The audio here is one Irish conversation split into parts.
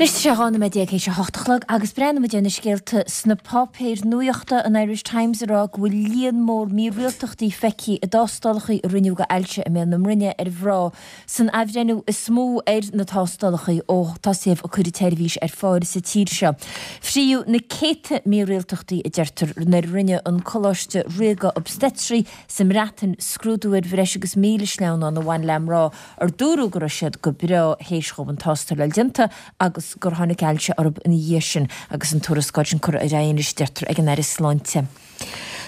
Anois tá sé 12 nóiméad théis a hocht a chlog agus breathnóidh muid ar na scéalta sna páipéir nuachta, an Irish Times ag rá go bhfuil líon mór mírialtachtaí feicthe i dtástálacha a rinneadh do ailse i mbéal na mbroinne ar mhná san athbhreithniú is mó ar na tástálacha ó tosaíodh ag cur an tseirbhís ar fáil sa tír seo. Frítheadh na céadta mírialtachtaí, a deirtear, nuair a rinne an Coláiste Ríoga Obstetraí sa mBreatain scrúdú ar bhreis agus 1,000 sleamhnán a bhain le mná ar dúradh go raibh siad go breá théis dhóibh an tástáil a fháil déanta agus gur tháinig ailse orthu ina dhiaidh sin agus an tuarascáil sin curtha ar aghaidh anois, deirtear, ag an Aire Sláinte.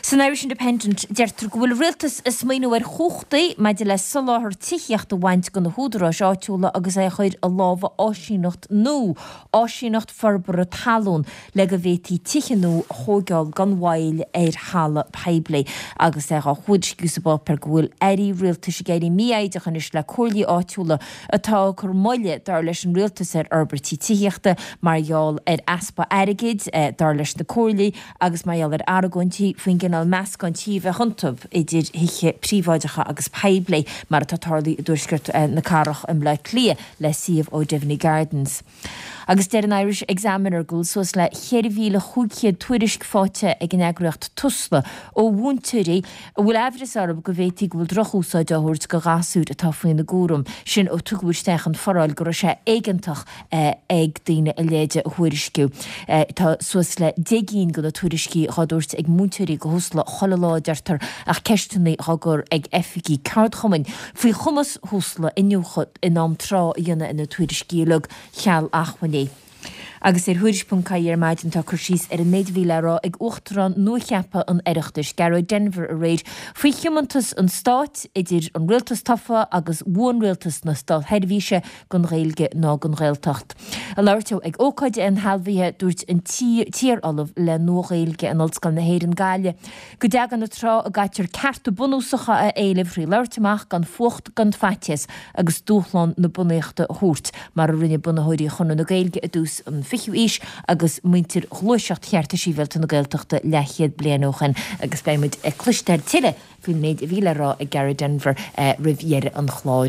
San Irish Independent, deirtear go bhfuil an Rialtas ag smaoineamh ar chumhachtaí maidir le soláthar tithíochta a bhaint de na húdaráis áitiúla agus é a chur i lámha áisíneacht nua, Áisíneacht Forbartha Talún, le go bhféadfaí tithe nua a thóigeáil gan mhoill ar thalamh poiblí. Agus é á thuairisciú sa bpáipéar go bhfuil airí rialtais ag éirí mífhoighdeach anois le comhairlí áitiúla atá ag cur moille, dar leis an rialtas, ar fhorbairtí tithíochta mar gheall ar easpa airgid, dar leis na comhairlí, agus mar gheall ar argóintí faoin gcineál meascán tí a bheadh iontu idir thithe príobháideacha agus poiblí, mar atá tarlaithe i dtuaisceart na cathrach i mBleá Cliath le suíomh O'Devaney Gardens. Agus deir an Irish Examiner go bhfuil suas le 4,500 tuairisc faighte ag an eagraíocht Tusla ó mhúinteoirí a bhfuil aimhreas orthu go bhféadfaí go bhfuil drochúsáid á thabhairt do ghasúir atá faoina gcúram, sin ó tugadh isteach an foráil go raibh sé éigeantach ag daoine a leithéid a thuairisciú. Tá suas le 10 gcinn de na tuairiscí dhá dtabhairt ag múinteoirí go Thusla chuile lá, a deirtear, ach ceisteanna dhá gcur ag oifigigh ceardchumainn faoi chumas Thusla iniúchadh in am tráth a dhéanamh ar na tuairiscí uilig, cheal acmhainní. Agus ar Thuairisc.ie ar maidin tá cur síos ar an méid a bhí le rá ag Uachtarán nuacheaptha an Oireachtais, Gearóid Denvir aréir faoi thiomantas an stáit, idir an rialtas tofa agus bhuanrialtas na státsheirbhíse, don Ghaeilge ná don Ghaeltacht. Ag labhairt dó ag ócáid inshealbhaithe, dúirt an t-iar-ollamh le Nua-Ghaeilge in Ollscoil na hÉireann, Gaillimh, Go dtagann an tráth a gcaitear cearta bunúsacha a éileamh thrí labhairt amach gan fuacht gan faitíos agus dúshlán na bunaíochta a thabhairt, mar a rinne bunaitheoirí Chonradh na Gaeilge i dtús an fichiú aois agus muintir Ghluaiseacht Chearta Sibhialta na Gaeltachta leathchéad bliain ó shin. Agus beidh muid ag cloisteáil tuilleadh faoin méid a bhí le rá ag Gearóid Denvir roimh dheireadh an chláir.